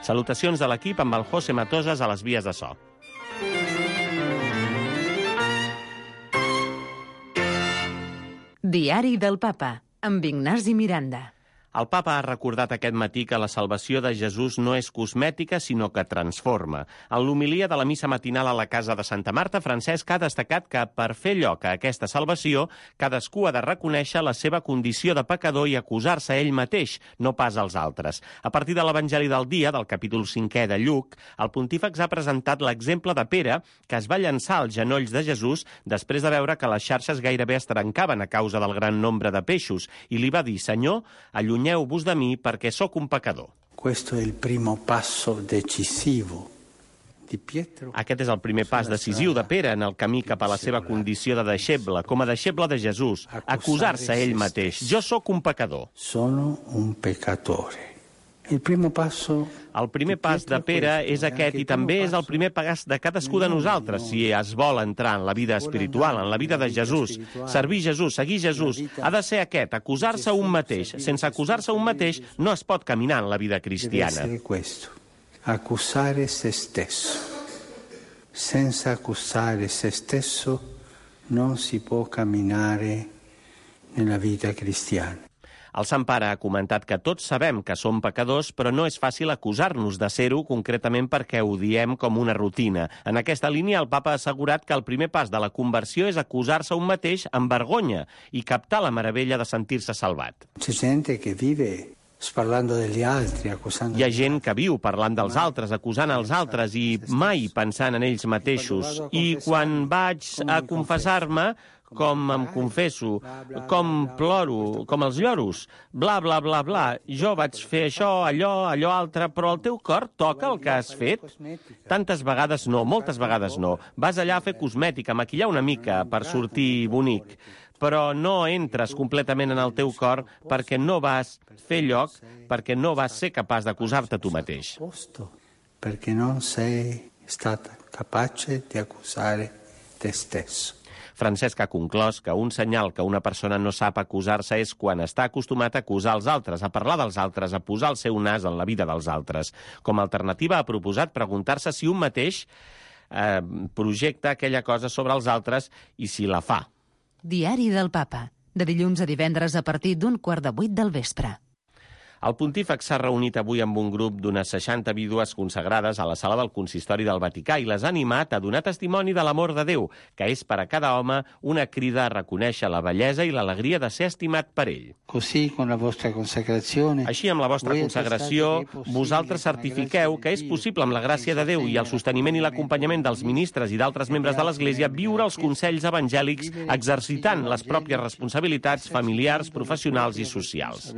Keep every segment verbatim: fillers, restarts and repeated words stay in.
Salutacions de l'equip amb el José Matosas a les vies de so. Diari del Papa, amb Ignasi Miranda. El papa ha recordat aquest matí que la salvació de Jesús no és cosmètica, sinó que transforma. En l'homilia de la missa matinal a la casa de Santa Marta, Francesc ha destacat que per fer lloc a aquesta salvació, cadascú ha de reconèixer la seva condició de pecador i acusar-se a ell mateix, no pas als altres. A partir de l'Evangeli del dia, del capítol cinquè de Lluc, el pontífex ha presentat l'exemple de Pere, que es va llançar als genolls de Jesús després de veure que les xarxes gairebé es trencaven a causa del gran nombre de peixos, i li va dir: Senyor, allunyeu-vos de mi perquè sóc un pecador. Questo è il primo passo decisivo di Pietro. Aquest és el primer pas decisiu de Pere en el camí cap a la seva condició de deixeble, com a deixeble de Jesús, acusar-se a ell mateix. Jo sóc un pecador. Sono un peccatore. El primer passo El primer pas de Pere és aquest i també és el primer pas de cadascú de nosaltres si es vol entrar en la vida espiritual, en la vida de Jesús. Servir Jesús, seguir Jesús, ha de ser aquest, acusar-se a un mateix. Sense acusar-se a un mateix no es pot caminar en la vida cristiana. deve essere questo, accusare se stesso. Senza accusare se stesso non si può camminare nella vita cristiana. El Sant Pare ha comentat que tots sabem que som pecadors, però no és fàcil acusar-nos de ser-ho, concretament perquè ho diem com una rutina. En aquesta línia, el papa ha assegurat que el primer pas de la conversió és acusar-se un mateix amb vergonya i captar la meravella de sentir-se salvat. C'è gente che vive parlando degli altri, accusando. Hi ha gent que viu parlant dels altres, acusant els altres i mai pensant en ells mateixos. I quan vaig a confessar-me, com em confesso, com ploro, com els lloros, bla, bla, bla, bla. Jo vaig fer això, allò, allò altre, però el teu cor toca el que has fet? Tantes vegades no, moltes vegades no. Vas allà a fer cosmètica, a maquillar una mica per sortir bonic, però no entres completament en el teu cor perquè no vas fer lloc, perquè no vas ser capaç d'acusar-te tu mateix. Perquè non sei stata capace di accusare te stesso. Francesc ha conclòs que un senyal que una persona no sap acusar-se és quan està acostumat a acusar els altres, a parlar dels altres, a posar el seu nas en la vida dels altres. Com a alternativa ha proposat preguntar-se si un mateix eh, projecta aquella cosa sobre els altres i si la fa. Diari del Papa, de dilluns a divendres a partir d'un quart de vuit del vespre. El pontífex s'ha reunit avui amb un grup d'unes seixanta vídues consagrades a la sala del Consistori del Vaticà i les ha animat a donar testimoni de l'amor de Déu, que és per a cada home una crida a reconèixer la bellesa i l'alegria de ser estimat per ell. Così, con la vostra consacrazione, Així, amb la vostra consagració, vosaltres certifiqueu que és possible, amb la gràcia de Déu i el sosteniment i l'acompanyament dels ministres i d'altres membres de l'Església, viure els consells evangèlics exercitant les pròpies responsabilitats familiars, professionals i socials.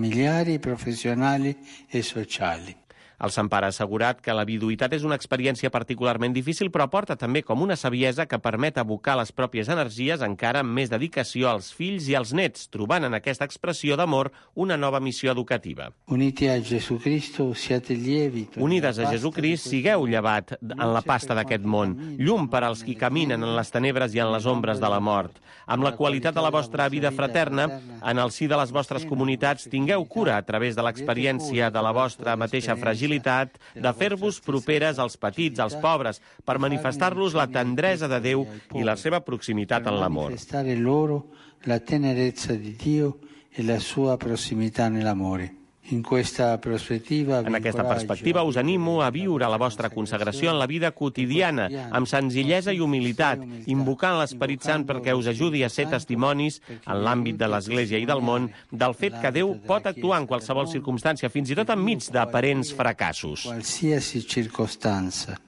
familiari, professionali e sociali. El Sant Pare ha assegurat que la viduïtat és una experiència particularment difícil, però aporta també com una saviesa que permet abocar les pròpies energies encara amb més dedicació als fills i als nets, trobant en aquesta expressió d'amor una nova missió educativa. Uniti a Jesucristo, siate lievi. Unides a Jesucrist, sigueu llevat en la pasta d'aquest món, llum per als qui caminen en les tenebres i en les ombres de la mort. Amb la qualitat de la vostra vida fraterna, en el si de les vostres comunitats, tingueu cura a través de l'experiència de la vostra mateixa fragilitat de fer-vos properes als petits, als pobres, per manifestar-los la tendresa de Déu i la seva proximitat en l'amor. Manifestare loro la tenerezza di Dio e la sua prossimità nell'amore. In questa prospettiva, en aquesta perspectiva us animo a viure la vostra consagració en la vida quotidiana, amb senzillesa i humilitat, invocant l'Esperit Sant perquè us ajudi a ser testimonis en l'àmbit de l'Església i del món del fet que Déu pot actuar en qualsevol circumstància, fins i tot enmig d'aparents fracassos. Qualsiasi circostanza,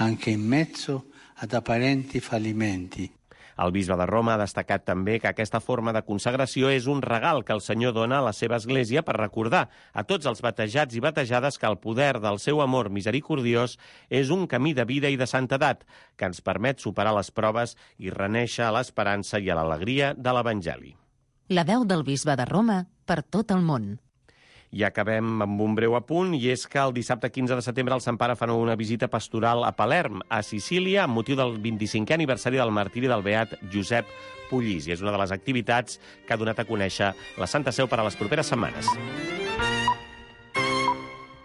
anche in mezzo ad apparenti fallimenti. El bisbe de Roma ha destacat també que aquesta forma de consagració és un regal que el Senyor dona a la seva Església per recordar a tots els batejats i batejades que el poder del seu amor misericordiós és un camí de vida i de santedat que ens permet superar les proves i reneixer a l'esperança i a l'alegria de l'Evangeli. La veu del bisbe de Roma per tot el món. I acabem amb un breu apunt, i és que el dissabte quinze de setembre el Sant Pare fa una visita pastoral a Palerm, a Sicília, amb motiu del vint-i-cinquè aniversari del martiri del beat Josep Pullís. I és una de les activitats que ha donat a conèixer la Santa Seu per a les properes setmanes.